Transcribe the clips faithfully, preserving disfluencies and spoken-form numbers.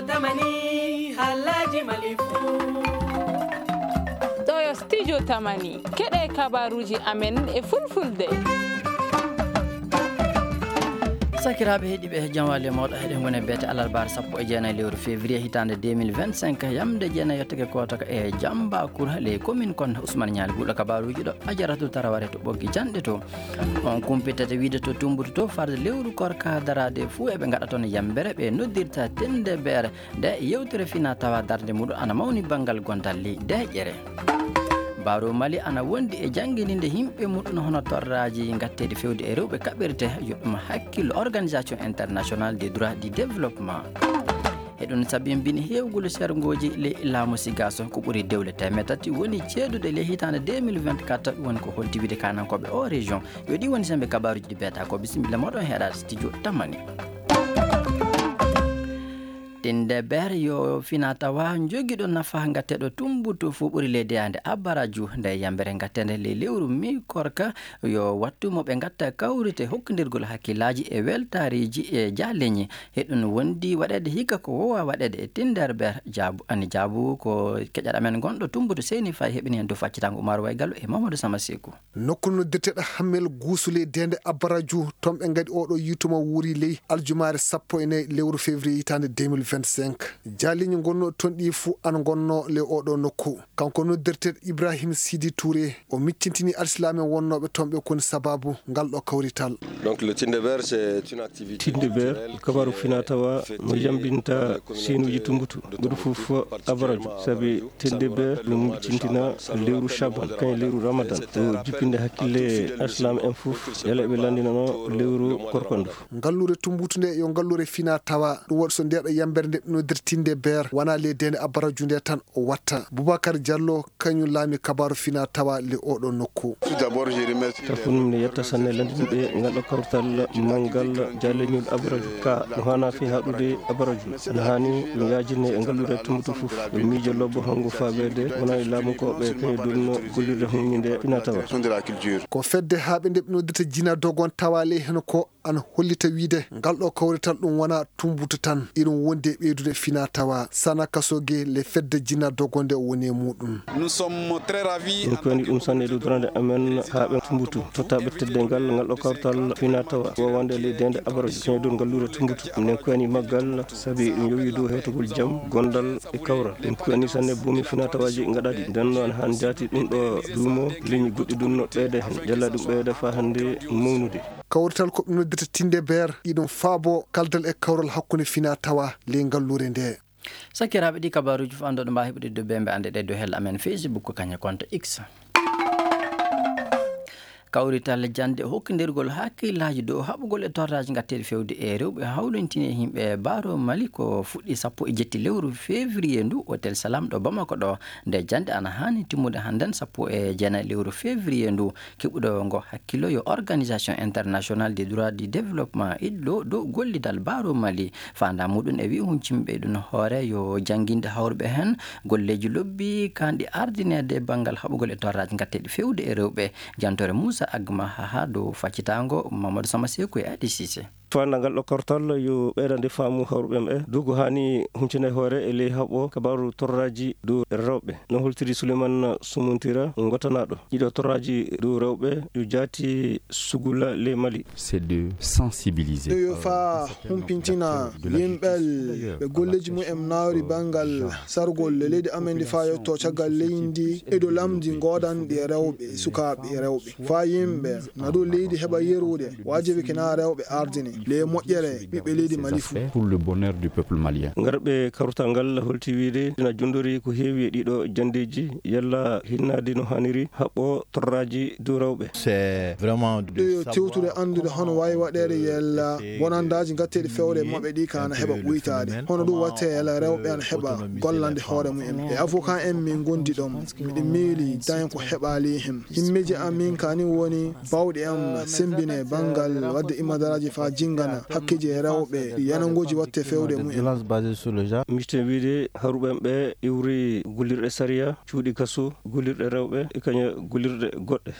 Tamani, halaji malifu. Ɗo yo studio Tamani. Keɗe kabaruji amen e fulfulde. Sakiraaɓe heɗiiɓe, jam wali e mooɗon. Heɗen ngoni e beete alarbaare sappo e jeenayi lewru février hitaande deux mille vingt-cinq, yamde jeenayi yottake kootaka e Jambakur, les communes kon Ousmane Ñaali Buuɗo. Kabaruuji ɗo Ajaratu Taraware to Ɓoggi Janɗe to. On kumpitata wiide to Tumbutu to, farde lewru korka daraade fuu eɓe ngaɗa toon yambere, ɓe noddirta Tinde Beer. Nde yewtere fina tawa darnde muɗum ana mawni banngal gondal ley deeƴere. Baro Mali ana wondi e jannginde yimɓe muɗum hono torraaji ngatteeɗi fewde e rewɓe kaɓirte, yoɓɓe mo hakkillo Organisation Internationale des Droits du Développement. Eɗum sabinbini heewgol serngooji ley laamu Sigaso, ko ɓuri dewle teemeɗɗe tati woni ceeduɗe ley hitaande deux mille vingt-quatre, woni ko holti wiide kaanankooɓe o région. Yo ɗi woni sembe kabaruuji ɗi beeta ko. Bisimilla moɗon heɗaade studio Tamani. Tinde Beer yo fina tawa jogiiɗo nafa ngatteeɗo Tumbutu fuu ɓuri ley deyaande Abaraju. Nde yambere ngatteende ley lewru mi korka yo wattu mo ɓe ngatta kawrite hokkindirgol hakkillaaji e weltaariiji e jaaleñi. Heɗum wondi waɗeede hikka ko wowa waɗeede e Tinde Beer. Jaabu, ani jaabu ko keƴal amen gonɗo Tumbutu Seyni Faye heɓini heen dow faccitango Umar Waygalu e Mamadou Sama Seku. Nokku noddirteeɗo Hammel Guusu ley deeƴde Abaraju, toon ɓe ngaɗi oɗo yiytuuma wuuri ley aljumaare sappo e nayi lewru février hitaande deux mille vingt-cinq. Jaaliiñi ngonnooɗi toon ɗi fuu ana ngonnoo ley oɗo nokku. Kanko noddirteeɗo Ibrahim Sidi Touré, o miccintini alsilaame wonnooɓe toon ɓe koni sabaabu ngal ɗo kawrital. Donc, le Tinde Beer, c'est une activité Tinde Beer, culturelle kabaru qui est fina tawa mo yambinta siinuuji Tumbutu. Ɓuri fof Abaraju, sabi Tinde Beer ɗum cintina lewru Shaban, kañ lewru Ramadan. Ɗo jippinde hakkille Islam en fof, yala ɓe lanndinano lewru korka ndu. Ngalluure Tumbutu nde yo ngalluure fina tawa, ɗum waɗi so ndeeɗo yambere nde noddirtinde Beer, wona ley deeƴde Abaraju nde tan o watta. Boubacar Diallo, kañum laami kabaru fina tawa le oɗo nokku. Tout d'abord, je remercie Taw ko ɗum ne yetta sanne lanndinɓe ngal ɗo kawtal manngal jaaleñol Abaraju. Ka no haana fii haɗude Abaraju. Ana haani no yaajine e ngalluure Tumbutu fof. Ɓe miijo lobbo hongo faabeede wona e laamu ko ɓe kañum ɗum no gollirde huññinde fina tawa. Ko fedde haa ɓe nde ɓe noddirta Jina Dogon tawa ley heen ko ana hollita wiide ngal ɗo kawrital ɗum wona Tumbutu tan, iɗum wondi e ɓeydude fina tawa. Sana Kasoge le fedde Jina Dogon nde o woni e muɗum. Nous sommes très ravis. Min ko woni ɗum sanne e dudorande amen haa ɓe Tumbutu tottaaɓe teddengal ngal ɗo kawtal fina tawa wowande ley deeƴde Abaraju kañum ɗum ngalluure Tumbutu. Minen ko woni maggal sabi ɗum yowi dow hewtugol jam, gondal e kawral. Min ko woni sanne boomi fina tawaaji ngaɗaaɗi. Nden noon han jaati ɗum ɗo duumo, leñi goɗɗi ɗum no ɓeyda heen. Jalla ɗum ɓeyda faa hannde mawnude. Kawrital ko ɓe noddirta Tinde Beer, iɗum faabo kaldal e kawral hakkunde fina tawa ley ngalluure nde. Sakiraaɓe, ɗi kabaruuji fof annduɗo mbaa heɓude dow bembe annde ɗe dow hella amen Facebook ko kañe compte X. Kawrital jannde hokkindirgol hakkillaaji dow haɓugol e torraaji ngatteeɗi fewde e rewɓe hawlintini e yimɓe Baro Mali ko fuɗɗi sappo e jetti lewru février ndu, Hôtel Salam ɗo Bamako ɗo. Nde jannde ana haani timmude hannden sappo e jeenayi lewru février ndu. Keɓuɗo ngo hakkillo yo Organisation Internationale des Droits du Développement, iɗɗo dow gollidal Baro Mali. Faandaa muɗum e wi'i huncimɓe ɗum hoore yo jannginde hawruɓe heen golleeji lobbi kanɗi ardineede banngal haɓugol e torraaji ngatteeɗi fewde e rewɓe. Jantoore Moussa Agma haa dow faccitaango Mamadou Sama Seku e Adi Cissé. Faandaa ngal ɗo kawrital yo ɓeydande faamu hawruɓe ɓe dow ko haani huncine hoore e ley haɓo kabaru torraaji dow rewɓe. No holtiri Souleymane Sumuntira ngotanaaɗo ɗiɗo torraaji dow rewɓe yo jaati sugula ley Mali. C'est de sensibiliser. Ɗo yo faa humpintina yimɓe ɓe golleeji mumen naawri banngal sargol e leydi amen ndi faa yotto caggal leydi ndi e dow lamndi goodanɗi e rewɓe e sukaaɓe e rewɓe. Faa yimɓe na dow leydi heɓa yerude, waajibi kina rewɓe ardini le moƴƴere ɓiɓɓe leydi Mali fuu. Pour le bonheur du peuple malien. Ngarɓe kawrital ngal holti wiide ina jondori ko heewi e ɗiɗo janndeeji yalla hinnaade no haaniri haɓɓo torraaji dow rewɓe. C'est vraiment de ɗo yo tewtude anndude hono waawi waɗeede yalla bonandaaji ngatteeɗi fewre maɓɓe ɗi kana heɓa ɓuytaade. Hono ɗum watte yalla rewɓe ana heɓa gollande hoore mumen. E avocat en min ngondi ɗon. Miɗo miili tawi ko heɓaali heen. Himmeeji am min kani woni baawɗe am semmbine banngal waɗde imadaraaji faa jinngana hakkeeji e rewɓe, yanangooji watte fewde mumen. Violence basée sur le genre. Miste wiide haruɓe ɓe iwri gollirɗe sariya, cuuɗi kaso, gollirɗe rewɓe, e kaña gollirɗe goɗɗe.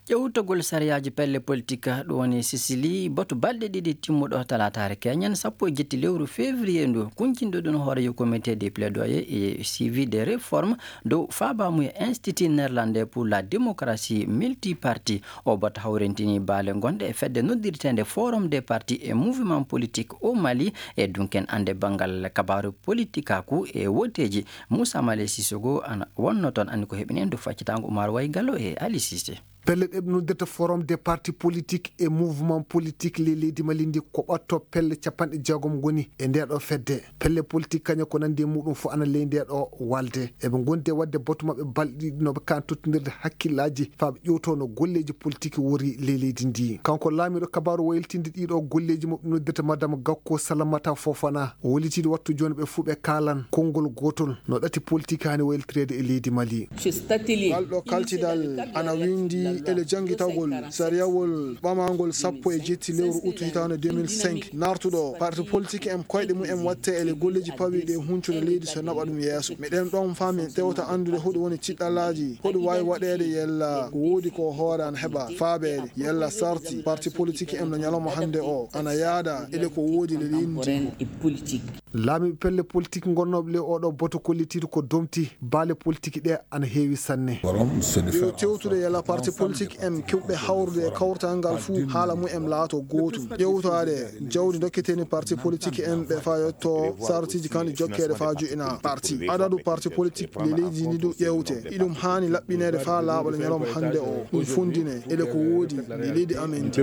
Ƴewtogol sariyaaji pelle politik, ɗum woni Sicily, batu balɗe ɗiɗi timmuɗo talaataare keñen, sappo e jetti lewru février ndu, kuncinɗo ɗum hooreejo comité de plaidoyer et suivi des réformes dow faabaamuya Institut Néerlandais pour la Démocratie Multiparti. O batu hawrintini baale gonɗe e fedde noddirteende Forum des Partis et Mouvements Politiques au Mali, e dunken annde banngal kabaaru politikaaku e wooteeji. Moussa Malé Sissoko ana wonno toon, anndi ko heɓini en dow faccitaango Oumar Way Gallo e Ali Cissé. Pelle ɗe ɓe noddirta Forum des Partis Politiques et Mouvements Politiques ley leydi Mali ndi, ko ɓatto pelle capanɗe jeegom ngoni e ndee ɗoo fedde. Pelle politik kañe ko nanndi e muɗum fof ana ley ndee ɗoo walde. Eɓe ngondi e waɗde batu maɓɓe balɗe ɗiɗi no ɓe kaan tottondirde hakkillaaji faa ɓe ƴewtoo no golleeji politik wori ley leydi ndi. Kanko laamiiɗo kabaaru waylitinde ɗii ɗoo golleeji mo ɓe noddirta Madame Gakko Salamata Fofana, o wallitiiɗo wattu jooni ɓe fuu ɓe kaalan konngol gootol no ɗati politik haani waylitireede e leydi Mali. Ngal ɗoo kaltidal ana winndi ele janngitagol sariyawol ɓamaangol sappo e jetti lewru ut hitaande deux mille cinq, naartuɗo parti politik en koyɗe mum en watte ele golleeji pawiiɗi e huncude leydi so naɓa ɗum yeeso. Meɗen ɗoon faa min tewta anndude hoɗum woni ciɗɗalaaji, hoɗum waawi waɗeede yalla ko woodi ko hoore ana heɓa faabeede, yalla sarti parti politik en no ñalawma hannde o ana yaada ele ko woodi le leydi ndi. Laamiiɓe pelle politik ngonnooɓe ley oo ɗoo batu kollitiiɗo ko domti baale politik ɗe ana heewi sanne. Yo tewtude yalla parti politik en keɓɓe hawrude e kawtal ngal fuu haala mum en laato gootum. Ƴewtaade jawdi dokketeni parti politik en ɓe faa yotto sartiiji kan ɗi jokkeede faa joɗina parti. Adadu parti politik le leydi ndi du ƴewte. Iɗum haani laɓɓineede faa laaɓa le ñalawma hannde o. Ɗum funndine ele ko woodi le leydi amen ndi.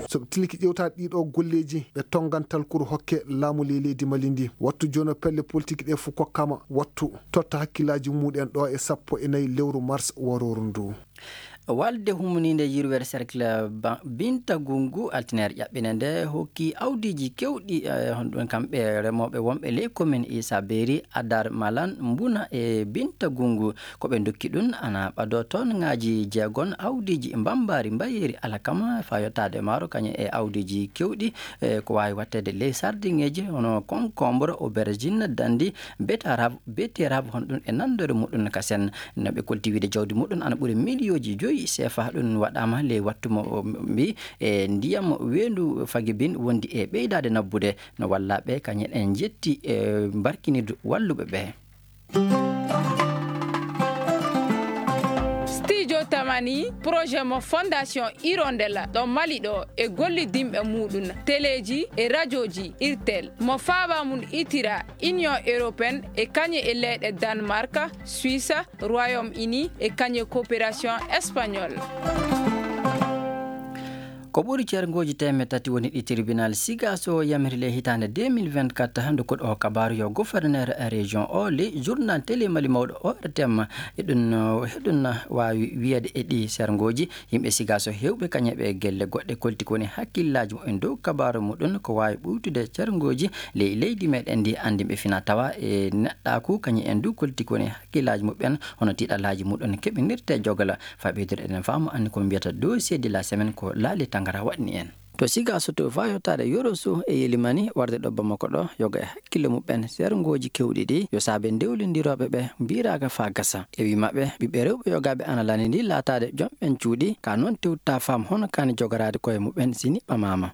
So ɓe tilki ƴewtaade ɗii ɗoo golleeji, ɓe tonngan talkuru hokke laamu ley leydi Mali ndi. Wattu jooni pelle politik ɗe fof kokkama wattu totta hakkillaaji muɗen ɗo e sappo e nayi lewru mars warooru ndu. Walde humniinde yirwere cercle Ba-, Binta Gungu, altineere ƴaɓɓinde nde, hokki awdiiji keewɗi, eh, honɗun kamɓe remooɓe wonɓe ley commune Issa Beri, Adar Malan, Mbuna e Binta Gungu. Ko ɓe ndokki ɗun ana ɓadoo tonŋaaji jeegon awdiiji mbambaari mbayeeri alkama faa yottaade maaro, kañum e awdiiji keewɗi, e ko waawi waɗteede ley sardiŋeeji hono concombre, aubergine, dandi, betterave, betterave, honɗun e nanndore muɗum kasen. No ɓe kolti wiide jawdi muɗum ana ɓuri miliyooji joyi C F A. Ɗum waɗaama ley wattu mo mbi e ndiyam weendu Fagibin wondi e ɓeydaade nabbude. No wallaaɓe kañum en njetti e mbarkinirdu walluɓe ɓe. Studio Tamani, projet mo Fondation Hirondelle ɗo Mali ɗo e gollidinɓe muɗum, teleeji e rajooji Irtel, mo faaba mum itira Union Européenne e kañe e leyɗe Danemark, Suisse, Royaume-Uni e kañe Coopération Espagnole. Ko ɓuri ceerngooji teemeɗɗe tati woni ɗi tribunal Sigaso yamiri ley hitaande deux mille vingt-quatre, nde koɗo o kabaaru yo gouverneur région o ley journal télé Mali mawɗo O R T M. E ɗum, eh, heɗum waawi wiyeede e ɗi ceerngooji, yimɓe Sigaso heewɓe kañe ɓe gelle goɗɗe kolti ko woni hakkillaaji muɓɓen dow kabaaru muɗum ko waawi ɓuytude ceerngooji ley leydi meɗen ndi anndi ɓe fina tawa e neɗɗaaku kañe en du kolti ko woni hakkillaaji muɓɓen hono tiiɗalaaji muɗum keɓinirte jogala. Faa ɓeydude eɗen faamu anndi ko mbiyata dossier de la semaine ko Laali Tangara waɗni en. To Sigaso to faa yottaade Yoroso e Yelimani warde ɗo Bamako ɗo, yoga e hakkille muɓɓen seerngooji keewɗi ɗi, yo saabe ndewlindirooɓe ɓe mbiiraaka faa gasa. E wii maɓɓe, ɓiɓɓe rewɓe yogaaɓe ana lani ndi laataade jomɓen cuuɗi, ka noon tewta faam hono kaani jogoraade koye muɓɓen si niɓɓamaama.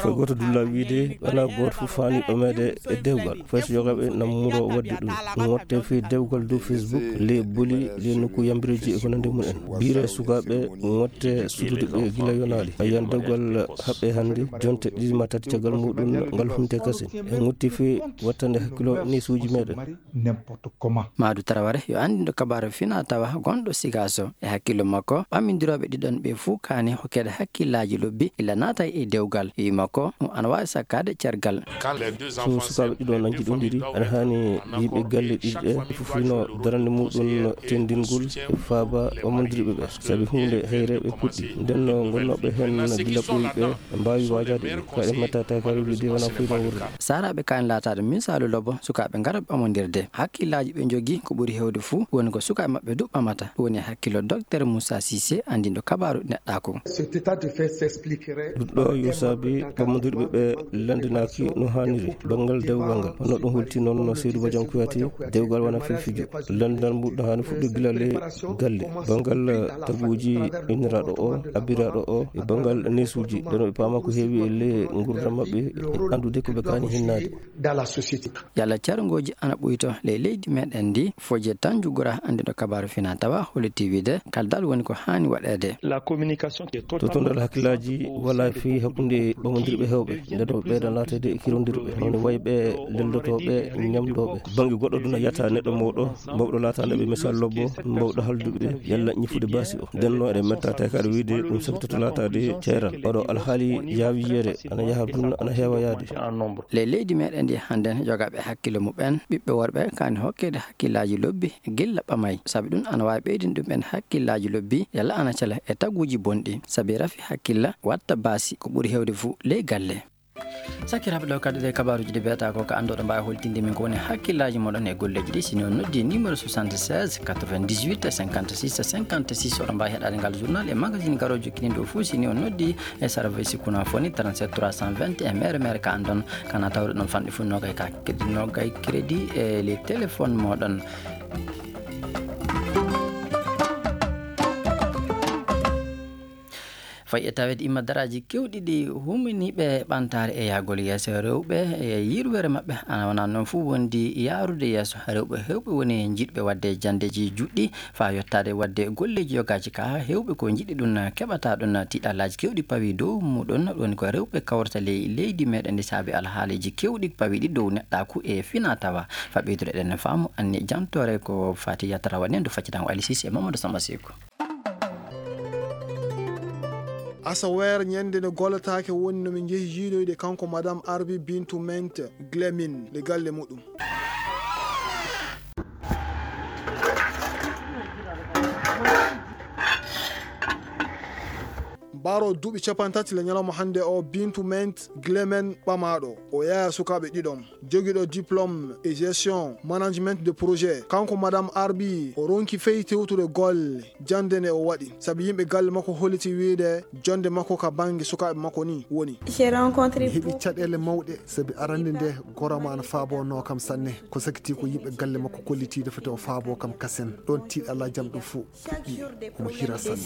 Foy gooto dulla wiide, alaa gooto fof faani ɓameede e dewgal. Fay so yogaaɓe na muro waɗde ɗum. Ngotte fii dewgal dow Facebook, ley boli, ley nokku yambireeji e ko nanndi mum en. Biire sukaaɓe, ngotte sutude ɓe gila yonaali. A yiyan dewgal haɓɓe hannde, jonte ɗiɗi ma tati caggal muɗum ngal hunte kasin. En ngotti fii wattande hakkilo neesuuji meɗen. N'importe comment. Maadu Taraware yo anndindo kabaru fina tawa gonɗo Sigaso. E hakkillo makko, ɓammindirooɓe ɗiɗon ɓe fuu kaani hokkeede hakkillaaji lobbi illa naata e dewgal. Wii makko, ɗum ana waawi sakkaade cergal. So sukaaɓe ɗiɗo na njiɗondiri, aɗa haani yimɓe galle ɗiɗi ɗe, fof hino darande muɗum tendingol e faaba ɓammondirɓe ɓe. Sabi huunde hayre ɓe puɗɗi. Nden no ngonnooɓe heen gila Ɓe ɓe mbaawi waajaade ɓe, ko eɗen metta tawi kadi wiide wona fuɗɗo wuurde. Saaraaɓe kaani laataade misaalu lobo sukaaɓe ngarooɓe ɓamondirde. Hakkillaaji ɓe njogii ko ɓuri heewde fuu woni ko sukaaɓe maɓɓe du ɓamata. Ɗum woni hakkillo Docteur Moussa Cissé, anndinɗo kabaaru neɗɗaaku. Cet état de fait s'expliquerait Ɗum ɗo yo saabi ɓamondirɓe ɓe lanndinaaki no haaniri. Banngal dewgal ngal, hono ɗum holti noon no Seydou Badiane Kouyaté, dewgal wona fifijo. Lanndinal muɗum haani fuɗɗi gila le galle. Banngal taguuji inniraaɗo o, abbiraaɗo o, e banngal neesuuji, ɓe no ɓe paama ko heewi e le nguurndam maɓɓe, anndude ko ɓe kaani hinnaade. Dans la société. Yalla carngooji ana ɓuyto ley leydi meɗen ndi, Fodje Tanju Gora, anndinɗo kabaaru fina tawa, holliti wiide kaldal woni ko haani waɗeede. La communication qui est totalement Totondal hakkillaaji wala fii hakkunde ɓamondirɓe heewɓe, nde ɗo ɓeydan laateede e kirondirɓe, hono wayɓe lellotooɓe, ñamdooɓe. Bannge goɗɗo duna yata neɗɗo mawɗo, mawɗo laataande ɓe misal lobbo, mawɗo halduɓe, yalla ñifude baasi o. Nden no eɗen metta tawi kaɗa wiide ɗum sakitoto laataade ceeral. Oɗo alhaali yaawi yeere, ana yaha dun, ana heewa yaade. Le leydi meɗen ndi hannden yogaaɓe hakkillo muɓɓen, ɓiɓɓe worɓe kaani hokkeede hakkillaaji lobbi gilla ɓamay. Sabi ɗum ana waawi ɓeydin ɗum en hakkillaaji lobbi, yalla ana cela e taguuji bonɗi. Sabi rafi hakkilla watta baasi ko ɓuri heewde fuu ley galle. Sakiraaɓe, ɗo kadi ɗe kabaaruuji ɗi mbiyata ko ka annduɗo mbaawi holtinde min ko woni hakkillaaji moɗon e golleeji ɗi. Si ni on noddi numéro soixante-seize quatre-vingt-dix-huit cinquante-six cinquante-six, oɗon mbaawi heɗaade ngal journal e magazine garoojo jokkiniiɗo fof. Si ni on noddi e service Kunafoni trente-sept trois cent vingt et un, mere mere ka anndon, kana tawde ɗon fanɗi fof nogay ka, nogay crédit e les téléphones moɗon. Fayi e taweede imma daraaji keewɗi ɗi huminiiɓe ɓantaare e yahgol yeeso rewɓe e yirwere maɓɓe, ana wona noon fof wondi yaarude yeeso. Rewɓe heewɓe woni njiɗɓe waɗde janndeeji juɗɗi faa yottaade waɗde golleeji yogaaji ka heewɓe ko njiɗi ɗum keɓata ɗum. Tiiɗalaaji keewɗi pawi dow muɗum, ɗum woni ko rewɓe kawrata ley leydi meɗen ndi saabi alhaaliiji keewɗi pawiɗi dow neɗɗaaku e fina tawa. Faa ɓeydude eɗen faamu anni jantoore ko fati yatara waɗi en, ɗo faccitango Alisis e Mamadou Samba Seku. Asaweere ñande nde gollataake woni no min njehi yiidoyde kanko Madame Arbi Bintou Mente Glemin le galle muɗum. Baro duuɓi cappanɗe tati le ñalawma hannde o, Bintou Mente Glemin ɓamaaɗo. O yaya sukaaɓe ɗiɗon. Jogiiɗo diplôme e gestion management de projet, kanko Madame Arbi o ronki fey tewtude golle jannde nde o waɗi, sabi yimɓe galle makko holliti wiyde jonnde makko ka bannge sukaaɓe makko ni woni. Mi heɓi caɗeele mawɗe, sabi arannde nde goro am ana faabonoo kam sanne. Ko sakiti ko yimɓe galle makko kolliti nde foti o faaboo kam kasen. Ɗon tiiɗalla jam ɗum fof. Omo hira sanne.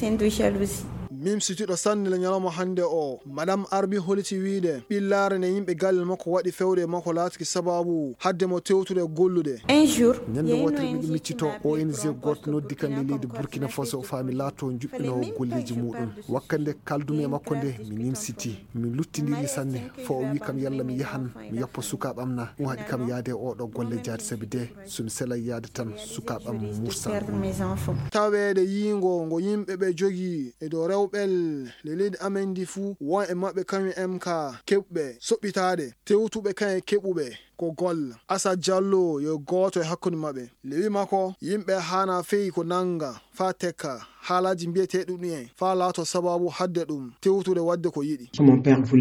Mimsitiiɗo sanne le ñalawma hannde o, Madame Arbi holliti wiyde ɓillaare nde yimɓe galle makko waɗi fewde e makko laatiki sababu hadde mo tewtude gollude. Ñande wootere miɗo miccitoo, O N G gooto noddi kam e leydi Burkina Faso faa mi laatoo njuɓɓinoowo golleeji muɗum. Wakkati nde kaaldumi e makko nde, mi nimsitii. Mi luttindiri sanne, faa o wii kam yalla mi yahan mi yoppa sukaaɓe am na. Ɗum haɗi kam yaade e oo ɗoo golle jaati, sabi de so mi selay yaade tan, sukaaɓe am mursan. Taweede yiingo ngo yimɓe ɓe jogii e dow rewɓe le leydi amen ndi fuu, won e maɓɓe kañum en ka keɓɓe soɓɓitaade, tewtuɓe kañum e keɓuɓe ko golla. Asa Jallo yo gooto e hakkunde maɓɓe. Lewi makko, yimɓe haana fey ko nannga faa tekka haalaaji mbiyeteeɗi ɗum en, faa laato sababu hadde ɗum tewtude waɗde ko yiɗi.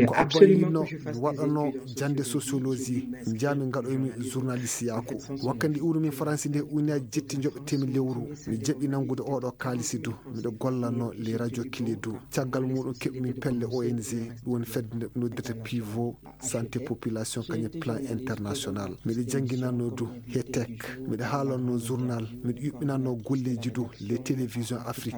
Ko abbal yiɗno mi waɗanoo jannde sociologie, njaami ngaɗoymi journalisteyaaku. Wakkati iwrumi Faransi nde, ujunnaaji jetti njoɓetemi lewru. Mi jaɓi nanngude oo ɗoo kaalisi du. Miɗo gollanoo les radios clés du. Caggal muɗum keɓmi pelle O N G, ɗum woni fedde nde ɓe noddirta Pivot Santé Population kañum plan international. Miɗo jannginannoo du he tech. Miɗo haalannoo journal. Miɗo yuɓɓinannoo golleeji du les télévisions africables.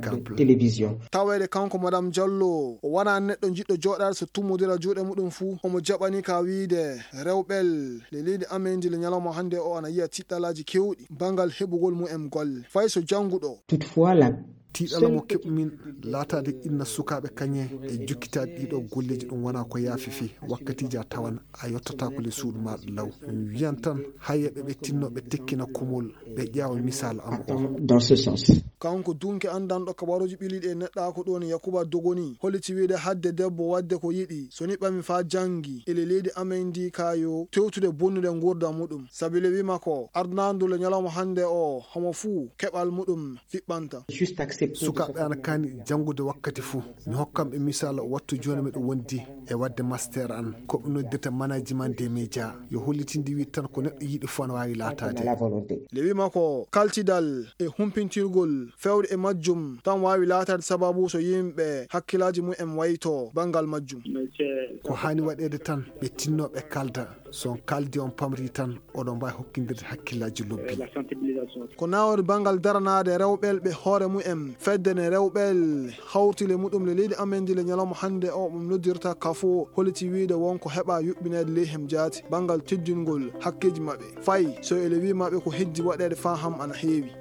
Taweede kanko Madame Jallo, o wonaa neɗɗo jiɗɗo jooɗaade so tummodira juuɗe muɗum fuu. Omo jaɓani ka wiyde rewɓe le leydi amen ndi le ñalawma hannde o ana yiya tiiɗalaaji keewɗi banngal heɓugol mumen golle. Fay so jannguɗo. Toutefois, la Tiiɗalla mo keɓmin laataade inna sukaaɓe kañe e jokkitaade ɗii ɗoo golleeji ɗum wonaa ko yaafi fii. Wakkatiiji a tawan a yottataako le suudu maaɗa law. Mi wiyan tan, hayeeɓe ɓe tinno ɓe tekkina kumol, ɓe ƴeewa misaal am o. Dans ce sens. Kanko dunke anndanɗo kabaruuji ɓiliiɗi e neɗɗaaku ɗoon Yakuba Dogoni holliti wiyde hadde debbo waɗde ko yiɗi, so ni ɓami faa janngi, ele leydi amen ndi ka yo tewtude bonnude nguurndam muɗum. Sabi le wii makko, ardanaandu le ñalawma hannde o, homo fuu keɓal muɗum fiɓɓanta. Juste Sukaaɓe ana kaani janngude wakkati fuu. Mi hokkan ɓe misaal, wattu jooni miɗo wondi e waɗde master an, ko ɓe noddirta management des médias. Yo hollitinde wi tan ko neɗɗo yiɗi fuu ana waawi laataade. Le wima ko kaltidal e humpintirgol fewde e majjum tan waawi laataade sababu so yimɓe hakkillaaji mum en wayto banngal majjum. Ko haani waɗeede tan, ɓe tinno ɓe kalda. So on kaldi, on pamri tan, oɗon mbaawi hokkindirde hakkillaaji lobbi. Ko nawori banngal daranaade rewɓe ɓe hoore mum en, fedde nde rewɓe hawti le muɗum le leydi amen ndi le ñalawma hannde o, ɗum noddirta kafo, holliti wiyde won ko heɓa yuɓɓineede ley hem jaati banngal teddingol hakkeeji maɓɓe. Fayi so ele wi maɓɓe ko heddi waɗeede faa ham ana heewi.